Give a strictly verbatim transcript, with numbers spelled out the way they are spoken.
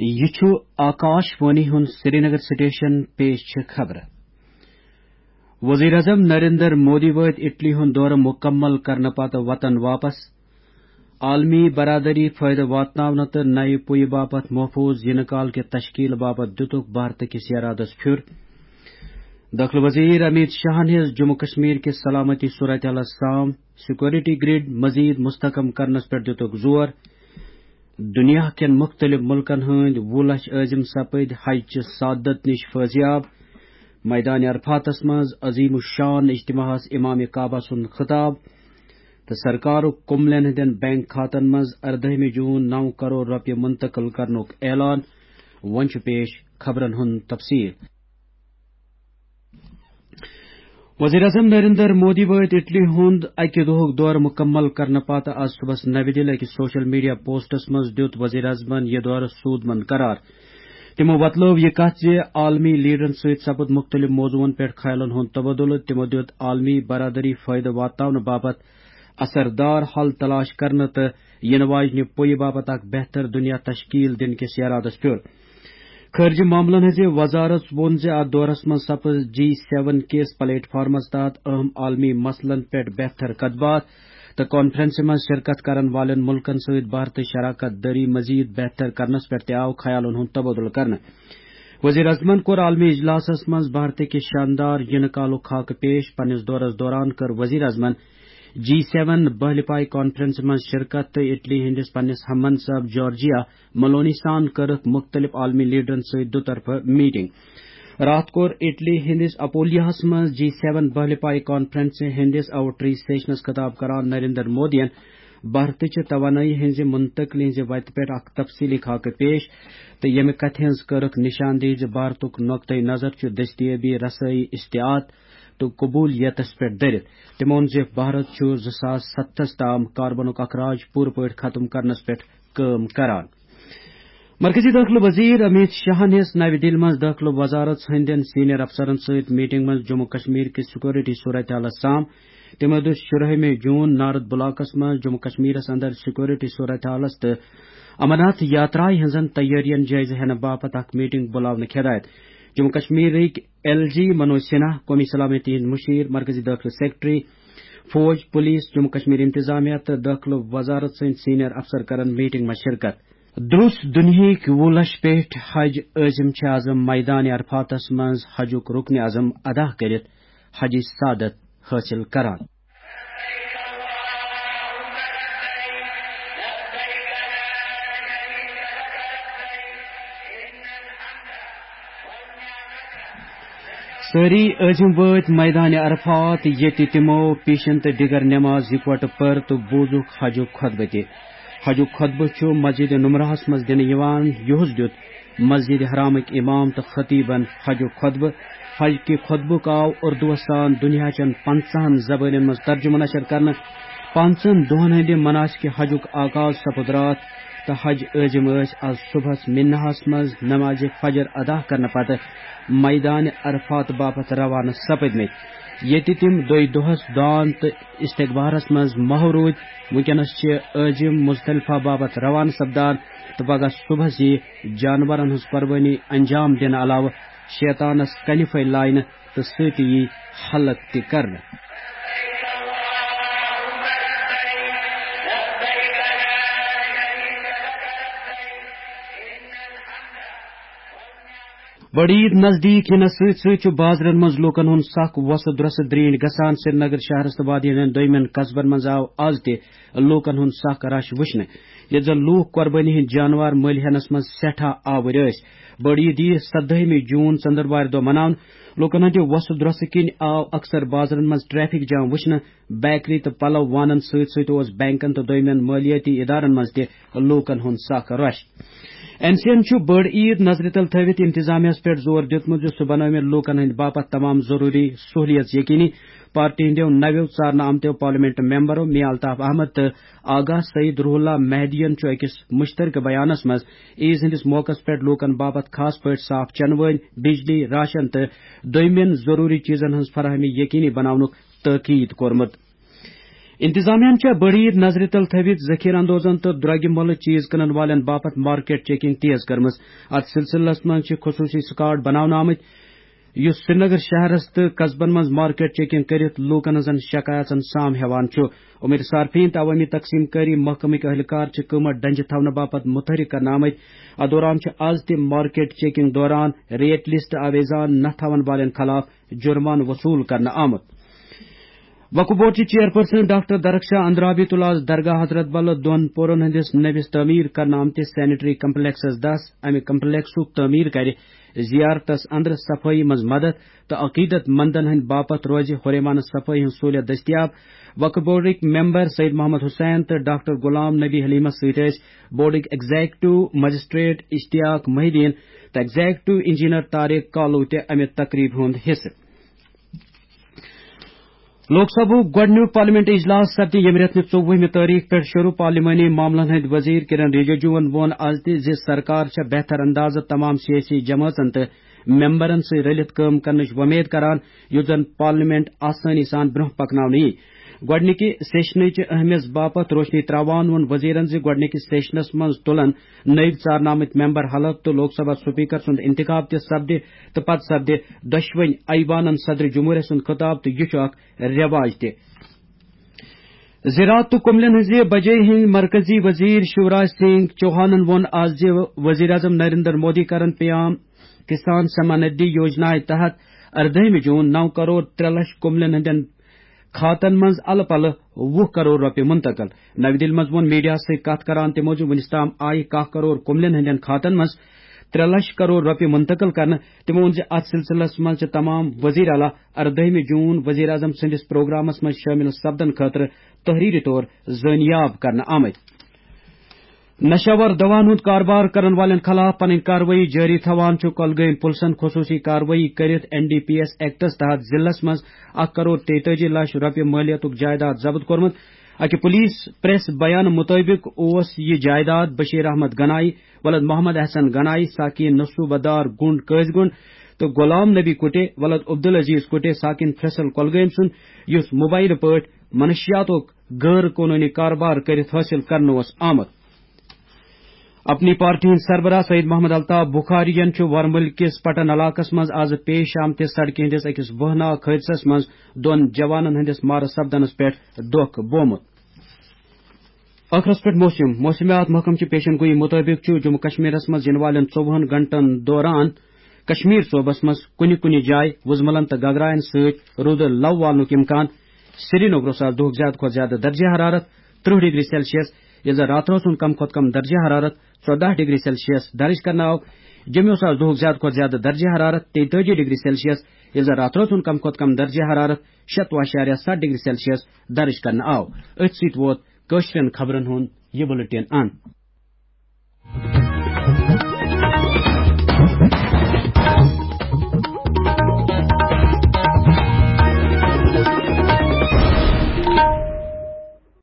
یہِ چھُ آکاش وانی ہُنٛد سرینگر سٹیشن۔ پیش چھِ خبرٕ۔ وزیر اعظم نریندر مودی وٲتۍ اٹلی ہُنٛد دورٕ مُکمل کرنہٕ پتہٕ وطن واپس۔ عالمی برادری فٲیدٕ واتناونہٕ تہٕ نَیہِ پُیہِ باپتھ محفوٗظ یِنہٕ کال کہِ تشکیل باپتھ دِتُکھ بھارتہٕ کِس ارادس پھیُر۔ دٲخلہٕ وزیر امیت شاہن ہیٚژ جموں کشمیر کِس سلامتی صورتحالس سام سیکورٹی گرڈ مزید مستحکم کرنس پٮ۪ٹھ دِتُکھ زور۔ دُنیا کٮ۪ن مُختٔلِف مُلکَن ہٕنٛدۍ وُہ لَچھ عٲزِم سپٕدۍ حج چہِ سعادت نِش فٲضیاب۔ میدان عرفاتَس منٛز عظیم الشان اجتماعَس امام کعبہ سُنٛد خطاب۔ تہٕ سرکارُک کُملٮ۪ن ہٕنٛدٮ۪ن بینک کھاتن منٛز اردٲہمہِ جون نو کرور رۄپیہِ منتقل کرنُک اعلان۔ وۄنۍ چھُ پیش خبرن ہُنٛد تفصیل۔ وزیر اعظم نریندر مودی وٲتۍ اٹلی ہُنٛد اکہِ دۄہُک دورٕ مُکمل کرنہٕ پتہٕ آز صبحس نَوِ دِلہِ أکِس سوشل میڈیا پوسٹس منٛز دیُت وزیر اعظمن یہِ دورٕ سودمند قرار۔ تِمو وۄتلٲو یہِ کتھ زِ عالمی لیڈرن سۭتۍ سپُد مُختٔلِف موضوعن پٮ۪ٹھ خیالن ہُنٛد تبادلہٕ۔ تِمو دیُت عالمی برادری فٲیدٕ واتناونہٕ باپتھ اثردار حل تلاش کرنہٕ تہٕ یِنہٕ واجنہِ پُیہِ باپتھ اکھ بہتر دُنیا تشکیل دِنہٕ کِس ارادس پٮ۪ٹھ۔ خارجہ معاملن ہٕنٛزِ وزارت ووٚن زِ اتھ دورس منٛز سپٕز جی سیون کِس پلیٹ فارمس تحت اہم عالمی مسلن پٮ۪ٹھ بہتر کتھ باتھ تہٕ کانفرنسہِ منٛز شرکت کرن والٮ۪ن مُلکن سۭتۍ بھارتٕچ شراکت دٲری مزید بہتر کرنس پٮ۪ٹھ تہِ آو خیالن ہُنٛد تبادلہٕ کرنہٕ۔ وزیر اعظمن کوٚر عالمی اجلاسس منٛز بھارتٕکہِ شاندار یِنہٕ کالُک خاکہٕ پیش۔ پننِس دورس دوران کٔر وزیر اعظمن جی سیون بہلہِ پایہِ کانفرنسہِ منٛز شرکت تہٕ اٹلی ہٕنٛدِس پننِس ہم منصب جارجیا ملونی سان کٔرٕکھ مُختٔلِف عالمی لیڈرن سۭتۍ دُطرفہٕ میٹنگ۔ راتھ کوٚر اٹلی ہٕنٛدِس اپولیاہس منٛز جی سیون بہلہِ پایہِ کانفرنسہِ ہٕنٛدِس آؤٹ ریچ سیشنس خطاب کران نریندر مودیَن بھارتٕچہِ توانٲیی ہٕنٛزِ منتقلی ہٕنٛزِ وتہِ پٮ۪ٹھ اکھ تفصیلی خاکہٕ پیش تہٕ ییٚمہِ کتھِ ہٕنٛز کٔرٕکھ نشاندہی زِ بھارتُک نقطہٕ نظر چھُ دستیابی، رسٲیی، استطاعت تہٕ قبولیتس پٮ۪ٹھ دٔرِتھ۔ تٔمۍ ووٚن زِ بھارت چھُ زٕ ساس ستتھس تام کاربنُک اخراج پوٗرٕ پٲٹھۍ ختم کرنس پٮ۪ٹھ کٲم کران۔ مرکزی دٲخلہٕ وزیر امیت شاہن ہیٚژ نَوِ دِلہِ منٛز دٲخلہٕ وزارت ہٕنٛدٮ۪ن سینئر افسرن سۭتۍ میٹنگ منٛز جموں کشمیر کِس سیکورٹی صورتحالس سام۔ تٔمۍ دیُت شُرہٲمہِ جون نارتھ بلاکس منٛز جموں کشمیرس اندر سیکورٹی صورتحالس تہٕ امرناتھ یاترایہِ ہٕنٛزن تیٲرین جٲیزٕ ہٮ۪نہٕ باپتھ اکھ میٹنگ بُلاونٕچ ہدایت۔ جموں کشمیرٕکۍ ایل جی منوج سنہا، قومی سلامتی ہٕنٛدۍ مُشیر، مرکزی دٲخلہٕ سیکرٹری، فوج، پولیس، جموں کشمیر انتظامیہ تہٕ دٲخلہٕ وزارت سٕنٛدۍ سینئر افسر کرن میٹنگ منٛز شرکت۔ درس دُنیہٕکۍ وُہ لچھ پٮ۪ٹھۍ حج عٲزِم چھِ از میدان عرفاتس منٛز حجُک رکن اعظم ادا کٔرِتھ حجٕچ سعادت حٲصِل کران۔ سٲری عٲزِم وٲتۍ میدان عرفات، ییٚتہِ تِمو پیشن تہٕ دِگر نٮ۪ماز یِکوٹہٕ پٔر تہٕ بوٗزُکھ حجُک خطبہٕ تہِ۔ حجُک خطبہٕ چھُ مسجد نمرہس منٛز دِنہٕ یِوان۔ یُہُس دیُت مسجد حرامٕکۍ امام تہٕ خطیبن حجُک خطبہٕ۔ حج کہِ خطبُک آو اردوس سان دُنیاہچٮ۪ن پنٛژاہن زبٲنٮ۪ن منٛز ترجمہٕ نشر کرنہٕ۔ پانٛژن دۄہن ہٕنٛدِ مناسکِ حجُک آغاز سپُد راتھ تہٕ حج عٲزِم ٲسۍ از صبحس مناہس منٛز نمازِ فجر ادا کرنہٕ پتہٕ میدان عرفات باپتھ روانہٕ سپٕدمٕتۍ، ییٚتہِ تِم دۄیہِ دۄہس دان تہٕ استغفارس منٛز محو روٗدۍ۔ وُنکیٚنس چھِ عٲزِم مزدلفہ باپتھ روانہٕ سپدان تہٕ پگاہ صبحس یِیہِ جانورن ہٕنٛز قربٲنی انجام دِنہٕ علاوٕ شیطانس کنہِ پھٔلۍ لاینہٕ تہٕ سۭتۍ یِیہِ حلق تہِ کرنہٕ۔ بٔڑ عید نزدیٖک یِنس سۭتۍ سۭتۍ چھُ بازرن منٛز لوٗکن ہُنٛد سخ وۄسہٕ درۄسہٕ درینٛٹھۍ گژھان۔ سرینگر شہرس تہٕ وادی ہٕنٛدٮ۪ن دوٚیمٮ۪ن قصبن منٛز آو از تہِ لوٗکن ہُنٛد سخ رش وٕچھنہٕ، ییٚتہِ زن لوٗکھ قۄربٲنی ہٕنٛدۍ جانوار مٔلۍ ہٮ۪نس منٛز سٮ۪ٹھاہ آوٕرۍ ٲسۍ۔ بٔڑ عید یِیہِ سدٲہمہِ جون ژٔنٛدٕروارِ دۄہ مناونہٕ۔ لوٗکن ہٕنٛدِ وۄسہٕ درۄسہٕ کِنۍ آو اکثر بازرن منٛز ٹریفک جام وٕچھنہٕ۔ بیکری تہٕ پلو وانن سۭتۍ سۭتۍ اوس بینکن تہٕ دوٚیمٮ۪ن مٲلیٲتی ادارن منٛز تہِ لوٗکن ہُنٛد سخ رش۔ این سی این چھُ بٔڑ عید نظرِ تل تھٲوِتھ انتظامیہس پٮ۪ٹھ زور دیُتمُت زِ سُہ بنٲوِن لوٗکن ہٕنٛدۍ باپتھ تمام ضروٗری سہولیژ یقینی۔ پارٹی ہٕنٛدیو نویو ژارنہٕ آمتیو پارلیمنٹ ممبرو میا الطاف احمد تہٕ آغا سعید روح اللہ مہدیَن چھُ أکِس مشترکہٕ بیانَس منٛز عیز ہٕنٛدِس موقعس پٮ۪ٹھ لوٗکَن باپتھ خاص پٲٹھۍ صاف چنہٕ وٲنۍ، بجلی، راشن تہٕ دوٚیمٮ۪ن ضروٗری چیٖزَن ہٕنٛز فراہمی یقینی بناونُک تٲکید کوٚرمُت۔ انتظامیہ چھےٚ بٔڑ عیٖد نظرِ تل تھٲوِتھ ذخیرٕ اندوزن تہٕ درۄگہِ مۄلہٕ چیز کٕنن والٮ۪ن باپتھ مارکیٹ چیکنگ تیز کٔرمٕژ۔ اتھ سلسلس منٛز چھِ خصوصی سکواڈ بناونہٕ آمٕتۍ، یُس سرینگر شہرس تہٕ قصبن منٛز مارکیٹ چیکنگ کٔرِتھ لوٗکن ہٕنٛزن شکایژن سام ہٮ۪وان چھُ۔ امید صارفین تہٕ عوٲمی تقسیم کٲری محکمٕکۍ اہلکار چھِ قۭمتھ ڈنجہِ تھاونہٕ باپتھ متحرک کرنہٕ آمٕتۍ۔ اتھ دوران چھِ از تہِ مارکیٹ چیکنگ دوران ریٹ لسٹ آویزان نہ تھاون والٮ۪ن خلاف جرمانہٕ وصوٗل کرنہٕ آمُت۔ وقف بورڈ چہِ چیئرپرسن ڈاکٹر درخشاہ اندرابی تُل آز درگاہ حضرت بل دۄن پورن ہٕنٛدِس نٔوِس تعمیٖر کرنہٕ آمتِس سینیٹری کمپلیکسس دس۔ امہِ کمپلیکسُک تعمیٖر کرِ زیارتس اندر صفٲیی منٛز مدد تہٕ عقیدت مندن ہٕنٛدِ باپتھ روزِ ہُریمانہٕ صفٲیی ہٕنٛز سہوٗلیت دٔستیاب۔ وقف بورڈٕکۍ ممبر سید محمد حسین تہٕ ڈاکٹر غلام نبی حلیمس سۭتۍ ٲسۍ بورڈٕکۍ ایگزیکٹو مجسٹریٹ اشتیاق محی الدین تہٕ ایگزیکٹو انجینئر طارق کالو تہِ امہِ تقریبہِ ہُنٛد حصہٕ۔ لوک سبھُک گۄڈٕنیُک پارلیمنٹ اجلاس سپدِ ییٚمہِ رٮ۪تہٕ نہِ ژوٚوُہمہِ تٲریخ پٮ۪ٹھ شروع۔ پارلیمانی معاملن ہٕنٛدۍ وزیر کرن رجیجوَن ووٚن از تہِ زِ سرکار چھےٚ بہتر اندازٕ تمام سیٲسی جمٲژن تہٕ ممبرن سۭتۍ رٔلِتھ کٲم کرنٕچ وۄمید کران، یُتھ زن پارلیمنٹ آسٲنی سان برٛونٛہہ پکناونہٕ یی۔ گۄڈٕنِکہِ سیشنٕچ اہمیت باپتھ روشنی تراوان ووٚن وزیرن زِ گۄڈٕنِکِس سیشنس منٛز تُلن نٔوۍ ژارنہٕ آمٕتۍ ممبر حلف تہٕ لوک سبھا سپیکر سُنٛد انتخاب تہِ سپدِ تہٕ پتہٕ سپدِ دۄشوٕنۍ ایوانن صدر جمہوریہ سُنٛد خطاب تہٕ یہِ چھُ اکھ رٮ۪واج تہِ۔ زراعت تہٕ کُملٮ۪ن ہٕنٛزِ بجٲیی ہٕنٛدۍ مرکزی وزیر شیوراج سنگھ چوہانن ووٚن آز زِ وزیر اعظم نریندر مودی کرن پیام کسان سمان ندی یوجنایہِ تحت اردٲہمہِ جوٗن نو کرور ترٛےٚ لچھ کُملٮ۪ن ہٕنٛدٮ۪ن کھاتن منٛز الہٕ پلہٕ وُہ کرور رۄپیہِ منتقل۔ نَوِ دِلہِ منٛز ووٚن میڈیاہَس سۭتۍ کَتھ کران تِمو زِ وُنیُک تام آیہِ کاہ کرور کُملٮ۪ن ہٕنٛدٮ۪ن کھاتن منٛز ترٛےٚ لچھ کرور رۄپیہِ منتقل کرنہٕ۔ تِمو ووٚن زِ اَتھ سلسلس منٛز چھِ تمام وزیر اعلیٰ اردٲہمہِ جوٗن وزیر اعظم سٕنٛدِس پروگرامس منٛز شٲمِل سپدن خٲطرٕ تحریری طور زٲنیاب کرنہٕ آمٕتۍ۔ نشہٕ آور دواہن ہُنٛد کاربار کرن والٮ۪ن خلاف پنٕنۍ کاروٲیی جٲری تھاوان چھُ کۄلگٲمۍ پُلسن خصوٗصی کاروٲیی کٔرِتھ این ڈی پی ایس ایکٹس تحت ضلعس منٛز اکھ کرور تیتٲجی لچھ رۄپیہِ مٲلیتُک جائیداد ضبط کوٚرمُت۔ اکہِ پولیس پریس بیان مُطٲبِق اوس یہِ جائیداد بشیر احمد گنائی، ولد محمد احسن گنائی، ساکین نصوبہ دار گنڈ قٲضۍ گنڈ تہٕ غلام نبی کُٹے، ولد عبدالعزیز کُٹے، ساکین فیصل کۄلگٲمۍ سُنٛد، یُس موبایلہٕ پٲٹھۍ منشیاتُک غٲر قونوٗنی کاربار کٔرِتھ حٲصِل کرنہٕ اوس آمُت۔ اپنی پارٹی ہٕنٛدۍ سربراہ سید محمد الطاف بخاری ین چھُ ورمُلۍ کِس پٹن علاقس منٛز از پیش آمتِس سڑکہِ ہٕنٛدِس أکِس وہناک حٲدثس منٛز دۄن جوانن ہٕنٛدِس مارٕ سپدنس پٮ۪ٹھ دۄکھ بومُت۔ ٲخرس پٮ۪ٹھ موسم۔ موسمیات محکمہٕ چہِ پیشن گویی مُطٲبِق چھُ جموں کشمیرس منٛز یِنہٕ والٮ۪ن ژوٚوُہن گھنٹن دوران کشمیر صوبس منٛز کُنہِ کُنہِ جایہِ وُزملن تہٕ گگراین سۭتۍ روٗدٕ لو والنُک امکان۔ سرینگرس آز دُہُک زیادٕ کھۄتہٕ زیادٕ درجہ حرارت ترٕٛہ ڈگری سیلسیس، ییٚلہِ زن راتہٕ رٲژ ہُنٛد کم کھۄتہٕ کم درجہ حرارت ژۄداہ ڈگری سیلسیس درج کرنہٕ آو۔ جوٚمہِ اوس آز دُہُک زیادٕ کھۄتہٕ زیادٕ درجہ حرارت تیتٲجی ڈگری سیلسیس، ییٚلہِ زن راتہٕ رٲژ ہُنٛد کم کھۄتہٕ کم درجہ حرارت شتوُہ اعشاریہ ستھ ڈگری سیلسیس درج کرنہٕ آو۔ أتھۍ سۭتۍ ووت کٲشرٮ۪ن خبرن ہُنٛد یہِ بُلٹن انت۔